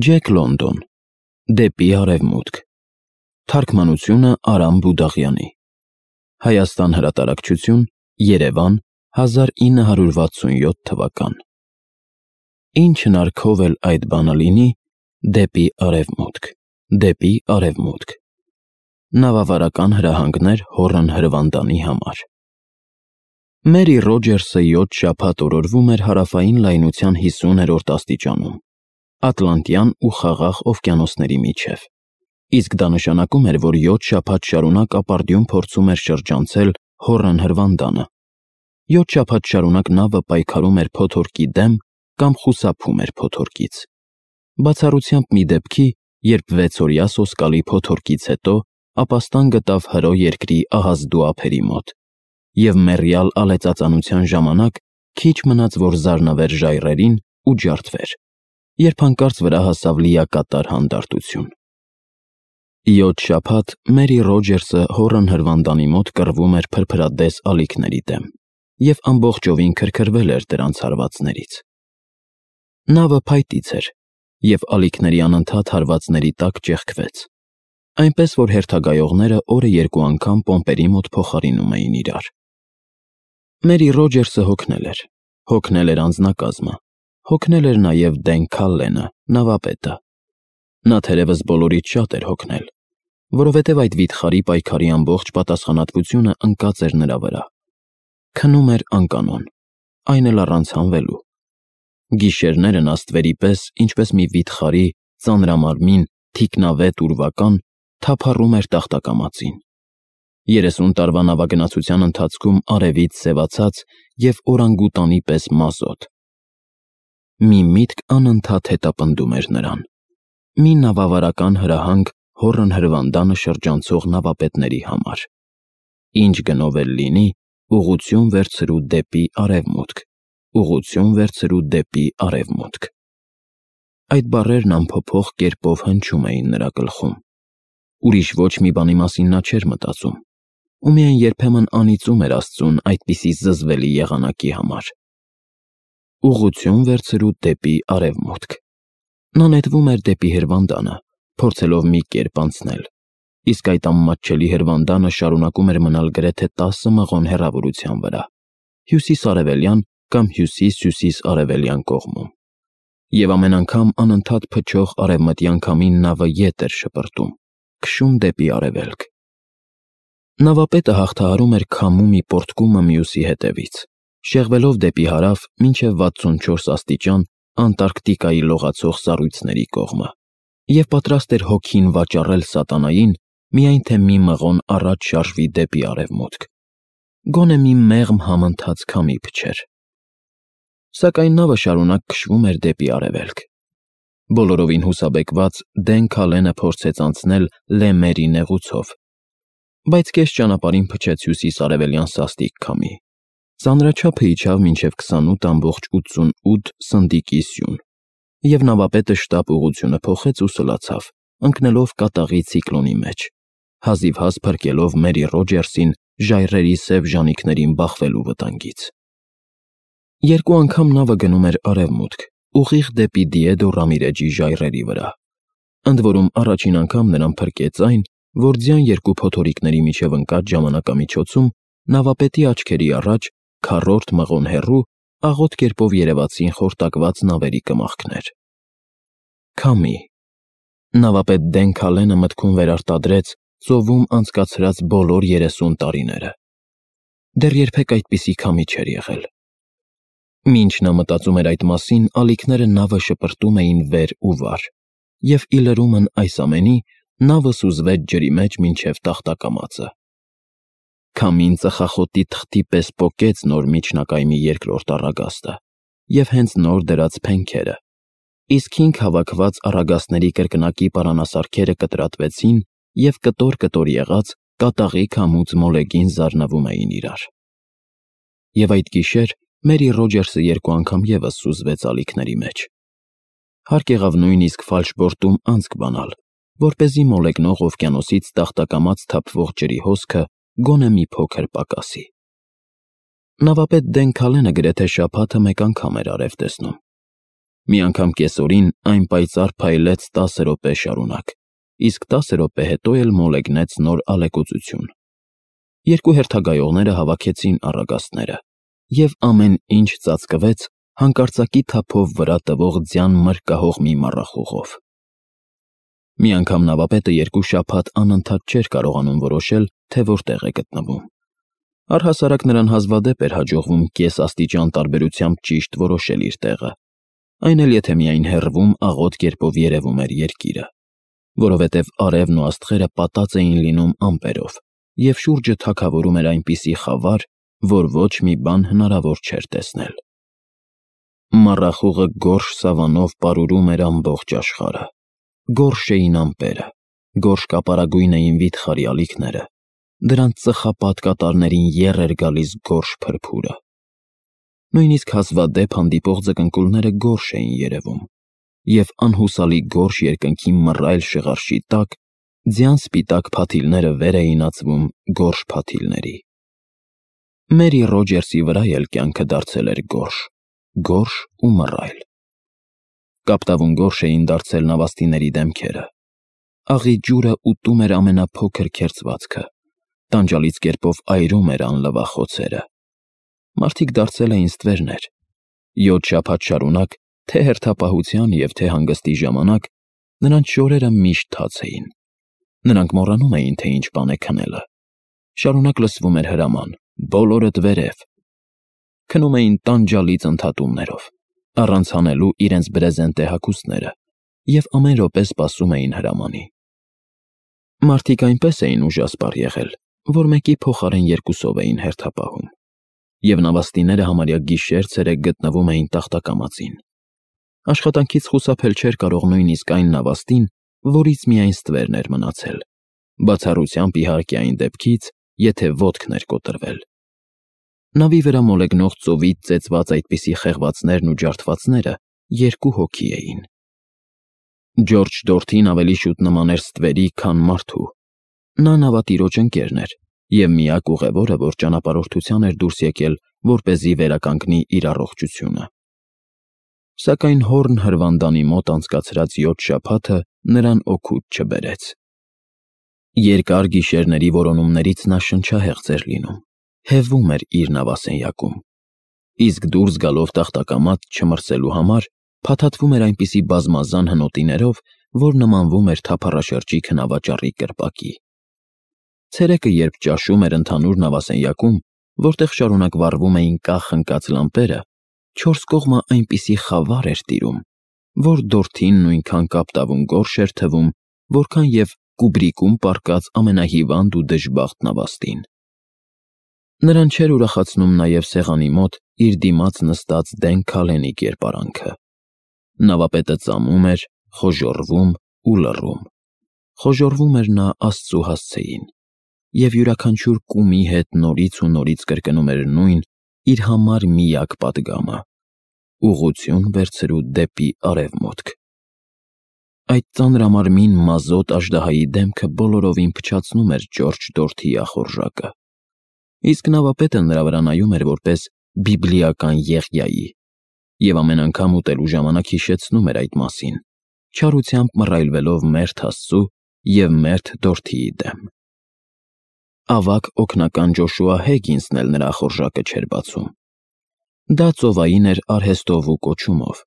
Ջեք Լոնդոն, Դեպի արևմուտք, թարգմանությունը Արամ Բուդաղյանի, Հայաստան հրատարակչություն, Երևան, 1967 թվական։ Ինչ հնարքով էլ այդ բանը լինի, դեպի արևմուտք, դեպի արևմուտք։ Նավավարական հրահանգներ Հորն Հրվանդանի համար։ Մերի Ռոջերսը 7 շաբաթ օրորվում էր հարավային լայնության 50-րդ աստիճանում, Ատլանտյան ու Խաղաղ օվկիանոսների միջև, իսկ դա նշանակում էր, որ 7 շաբաթ շարունակ ապարդյուն փորձում էր շրջանցել Հորն Հրվանդանը։ 7 շաբաթ շարունակ նավը պայքարում էր փոթորկի դեմ կամ խուսափում էր փոթորկից։ Բացառությամբ մի դեպքի, երբ 6-օրյա սոսկալի փոթորկից հետո ապաստան գտավ Հրո երկրի ահազդու ափերի մոտ, և մեռյալ ալեցածանության ժամանակ քիչ մնաց, որ զարնվեր ժայռերին ու ջարդվեր, երբ հանկարծ վրա հասավ լիակատար հանդարտություն։ 7 շաբաթ Մերի Ռոջերսը Հորն Հրվանդանի մոտ կռվում էր փրփրադես ալիքների դեմ և ամբողջովին քրքրվել էր դրանց հարվածներից։ Նավը փայտից էր, և ալիքների անընդհատ հարվածների տակ ճեղքվեց, այնպես որ հերթագայողները օրը 2 անգամ պոմպերի մոտ փոխարինում էին իրար։ Մերի Ռոջերսը հոգնել էր անձնակազմը, հոգնել էր նաև Դեն Քալլենը, նավապետը։ Նա թերևս բոլորից շատ էր հոգնել, որովհետև այդ վիթխարի պայքարի ամբողջ պատասխանատվությունը ընկած էր նրա վրա։ Քնում էր անկանոն, այն էլ առանց հանվելու։ Գիշերները նաստվերի պես, ինչպես մի վիթխարի, ծանրամարմին, թիկնավետ ուրվական, թափառում էր տախտակամածին։ 30 տարվա նավագնացության ընթացքում արևից սևացած և օրանգուտանի պես մազոտ։ Մի միտք անընդհատ հետապնդում էր նրան. մի նավավարական հրահանգ Հորն Հրվանդանը շրջանցող նավապետների համար։ Ինչ գնով էլ լինի, ուղղություն վերցրու դեպի արևմուտք, ուղղություն վերցրու դեպի արևմուտք։ Այդ բառերն անփոփոխ կերպով հնչում էին նրա գլխում։ Ուրիշ ոչ մի բանի մասին նա չէր մտածում, ու միայն երբեմն անիծում էր Աստծուն այդպիսի զզվելի եղանակի համար։ Ուղղություն վերցրու դեպի արևմուտք։ Նա նետվում էր դեպի Հրվանդանը, փորձելով մի կերպ անցնել, իսկ այդ անմատչելի Հրվանդանը շարունակում էր մնալ գրեթե 10 մղոն հեռավորության վրա, հյուսիս-արևելյան կամ հյուսիս-հյուսիս-արևելյան կողմում, և ամեն անգամ անընդհատ փչող արևմտյան քամին նավը ետ էր շպրտում, քշում դեպի արևելք։ Նավապետը հաղթահարում էր քամու մի պոռթկումը մյուսի հետևից, շեղվելով դեպի հարավ մինչև 64 աստիճան Անտարկտիկայի լողացող սառույցների կողմը, և պատրաստ էր հոգին վաճառել սատանային, միայն թե մի մղոն առաջ շարժվի դեպի արևմուտք, գոնե մի մեղմ համընթաց քամի փչեր։ Սակայն նավը շարունակ քշվում էր դեպի արևելք։ Բոլորովին հուսաբեկված Դեն Քալենը փորձեց անցնել Լե Մերի նեղուցով, բայց կես ճանապարհին փչեց հյուսիս-արևելյան սաստիկ քամի։ Ծանրաչափը իջավ մինչև 28,88 սնդիկի սյուն, և նավապետը շտապ ուղղությունը փոխեց ու սլացավ, ընկնելով կատաղի ցիկլոնի մեջ, հազիվհազ փրկելով Մերի Ռոջերսին ժայռերի սև ժանիքներին բախվելու վտանգից։ 2 անգամ նավը գնում էր արևմուտք, ուղիղ դեպի Դիեդո Ռամիրեջի ժայռերի վրա։ Ընդ որում առաջին անգամ նրան փրկեց այն, որ ձյան 2 փոթորիկների միջև ընկած ժամանակամիջոցում նավապետի աչքերի առաջ, քառորդ մղոն հեռու, աղոտ կերպով երևացին խորտակված նավերի կմախքներ։ Քամի։ Նավապետ Դեն Քալենը մտքում վերարտադրեց ծովում անցկացրած բոլոր 30 տարիները։ Դեռ երբեք այդպիսի քամի չէր եղել։ Մինչ նա մտածում էր այդ մասին, ալիքները նավը շպրտում էին վեր ու վար, և ի լրումն այս ամենի, նավը սուզվեց ջրի մեջ մինչև տախտակամածը։ Քամին ծխախոտի թղթի պես պոկեց նոր միջնակայմի երկրորդ առագաստը և հենց նոր դրած փենքերը, իսկ 5 հավաքված առագաստների կրկնակի պարանասարքերը կտրատվեցին և կտոր-կտոր եղած կատաղի քամուց մոլեգին զարնվում էին իրար։ Եվ այդ գիշեր Մերի Ռոջերսը 2 անգամ ևս սուզվեց ալիքների մեջ։ Հարկ եղավ նույնիսկ ֆալշբորտում անցք բանալ, որպեսզի մոլեգնող օվկիանոսից տախտակամած թափվող ջրի հոսքը գոնե մի փոքր պակասի։ Նավապետ Դեն Քալենը գրեթե շաբաթը մեկ անգամ էր արև տեսնում։ Մի անգամ կեսօրին այն պայծառ փայլեց 10 րոպե շարունակ, իսկ 10 րոպե հետո էլ մոլեգնեց նոր ալեկոծություն։ Երկու հերթագայողները հավաքեցին առագաստները, և ամեն ինչ ծածկվեց հանկարծակի թափով վրա տվող ձյան մրրկահող մի մառախուղով։ Մի անգամ նավապետը 2 շաբաթ անընդհատ չէր կարողանում որոշել, թե որտեղ է գտնվում։ Առհասարակ նրան հազվադեպ էր հաջողվում կես աստիճան տարբերությամբ ճիշտ որոշել իր տեղը, այն էլ եթե միայն հեռվում աղոտ կերպով երևում էր երկիրը, որովհետև արևն ու աստղերը պատած էին լինում ամպերով, և շուրջը թագավորում էր այնպիսի խավար, որ ոչ մի բան հնարավոր չէր տեսնել։ Մառախուղը գորշ սավանով պարուրում էր ամբողջ աշխարհը։ Գորշ էին ամպերը, գորշ կապարագույն էին վիթխարի ալիքները, դրանց ծխապատ կատարներին եռ էր գալիս գորշ փրփուրը։ Նույնիսկ հազվադեպ հանդիպող ձկնկուլները գորշ էին երևում, և անհուսալի գորշ երկնքի մռայլ շղարշի տակ ձյան սպիտակ փաթիլները վեր էին ածվում գորշ փաթիլների։ Մերի Ռոջերսի վրա էլ կյանքը դարձել էր գորշ ու մռայլ։ Կապտավուն գորշ էին դարձել նավաստիների դեմքերը։ Աղի ջուրը ուտում էր ամենափոքր քերծվածքը, տանջալից կերպով այրում էր անլվա խոցերը։ Մարդիկ դարձել էին ստվերներ։ 7 շաբաթ շարունակ, թե հերթապահության և թե հանգստի ժամանակ, նրանց շորերը միշտ թաց էին։ Նրանք մոռանում էին, թե ինչ բան է քնելը։ Շարունակ լսվում էր հրաման. «Բոլորդ վերև»։ Քնում էին տանջալից ընդհատումներով, առանց հանելու իրենց բրեզենտե հագուստները, և ամեն րոպե սպասում էին հրամանի։ Մարդիկ այնպես էին ուժասպառ եղել, որ մեկի փոխարեն 2-ով էին հերթապահում, և նավաստիները համարյա գիշեր-ցերեկ գտնվում էին տախտակամածին։ Աշխատանքից խուսափել չէր կարող նույնիսկ այն նավաստին, որից միայն ստվերն էր մնացել, բացառությամբ իհարկե այն դեպքից, եթե ոտքն էր կոտրվել։ Նավի վրա մոլեգնող ծովից ծեծված այդպիսի խեղվածներն ու ջարդվածները 2 հոգի էին։ Ջորջ Դորթին ավելի շուտ նման էր ստվերի, քան մարդու։ Նա նավատիրոջ ընկերն էր և միակ ուղևորը, որ ճանապարհորդության էր դուրս եկել, որպեսզի վերականգնի իր առողջությունը։ Սակայն Հորն հրվանդանի մոտ անցկացրած 7 շաբաթը նրան օգուտ չբերեց։ Երկար գիշերների որոնումներից նա շնչահեղձ էր լինում, հևում էր իր նավասենյակում, իսկ դուրս գալով տախտակամած չմրսելու համար փաթաթվում էր այնպիսի բազմազան հնոտիներով, որ նմանվում էր թափառաշրջիկ հնավաճառի կրպակի։ Ցերեկը, երբ ճաշում էր ընդհանուր նավասենյակում, որտեղ շարունակ վառվում էին կախ ընկած լամպերը, 4 կողմը այնպիսի խավար էր տիրում, որ Դորթին նույնքան կապտավուն գորշ էր թվում, որքան և Կուբրիկում պառկած ամենահիվանդ ու դժբախտ նավաստին։ Նրան չէր ուրախացնում նաև սեղանի մոտ իր դիմաց նստած Դեն Քալենի կերպարանքը։ Նավապետը ծամում էր, խոժոռվում ու լռում։ Խոժոռվում էր նա Աստծու հասցեին, և յուրաքանչյուր կումի հետ նորից ու նորից կրկնում էր նույն իր համար միակ պատգամը՝ ուղղություն վերցրու դեպի արևմուտք։ Այդ ծանրամարմին մազոտ աժդահայի դեմքը բոլորովին փչացնում էր Ջորջ Դորթիի ախորժակը, իսկ նավապետը նրա վրա նայում էր որպես բիբլիական Եղիայի, և ամեն անգամ ուտելու ժամանակ հիշեցնում էր այդ մասին, չարությամբ մռայլվելով մերթ Աստծու և մերթ Դորթիի դեմ։ Ավագ օգնական Ջոշուա Հեգինսն էլ նրա ախորժակը չէր բացում։ Դա ծովային էր արհեստով ու կոչումով,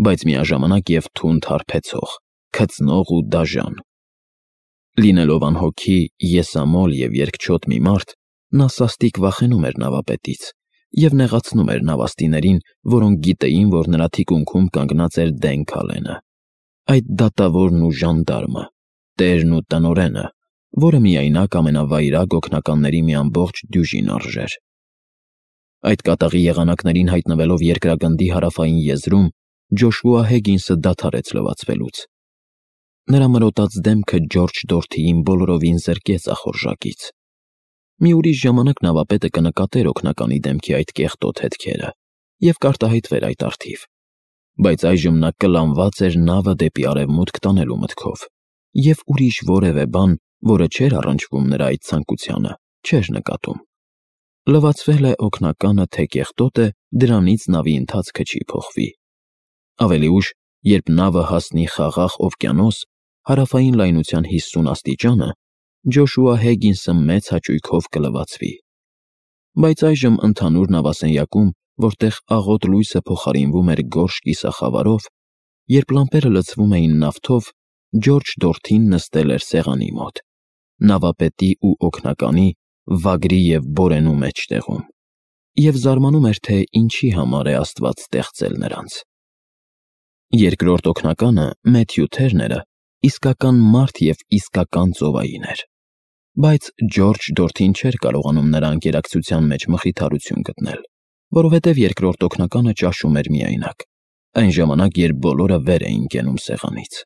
բայց միաժամանակ և թունդ հարբեցող, քծնող ու դաժան։ Լինելով անհոգի, եսամոլ և երկչոտ մի մարդ, նա սաստիկ վախենում էր նավապետից և նեղացնում էր նավաստիներին, որոնք գիտեին, որ նրա թիկունքում կանգնած էր Դեն Քալենը, այդ դատավորն ու ժանդարմը, տերն ու տնօրենը, որը միայնակ ամենավայրագ օգնականների մի ամբողջ դյուժին արժեր։ Այդ կատաղի եղանակներին հայտնվելով երկրագնդի հարավային եզրում, Ջոշուա Հեգինսը դադարեց լվացվելուց։ Նրա մրոտած դեմքը Ջորջ Դորթիին բոլորովին զրկեց ախորժակից։ Մի ուրիշ ժամանակ նավապետը կնկատեր օգնականի դեմքի այդ կեղտոտ հետքերը և կարտահայտվեր այդ առթիվ, բայց այժմ նա կլանված էր նավը դեպի արևմուտք տանելու մտքով, և ուրիշ որևէ բան, որը չէր առնչվում նրա այդ ցանկությանը, չէր նկատում։ Լվացվել է օգնականը, թե կեղտոտ է, դրանից նավի ընթացքը չի փոխվի։ Ավելի ուշ, երբ նավը հասնի խաղաղ օվկիանոս, հարավային լայնության 50 աստիճանը, Ջոշուա Հեգինսը մեծ հաճույքով կլվացվի։ Բայց այժմ ընդհանուր նավասենյակում, որտեղ աղոտ լույսը փոխարինվում էր գորշ կիսախավարով, երբ լամպերը լցվում էին նավթով, Ջորջ Դորթին նստել էր սեղանի մոտ, նավապետի ու օգնականի, վագրի և բորենու մեջտեղում, և զարմանում էր, թե ինչի համար է Աստված ստեղծել նրանց։ Երկրորդ օգնականը՝ Մեթյու Թերները, իսկական մարդ և իսկական ծովային էր, բայց Ջորջ Դորթին չէր կարողանում նրա ընկերակցության մեջ մխիթարություն գտնել, որովհետև երկրորդ օգնականը ճաշում էր միայնակ, այն ժամանակ, երբ բոլորը վեր էին կենում սեղանից։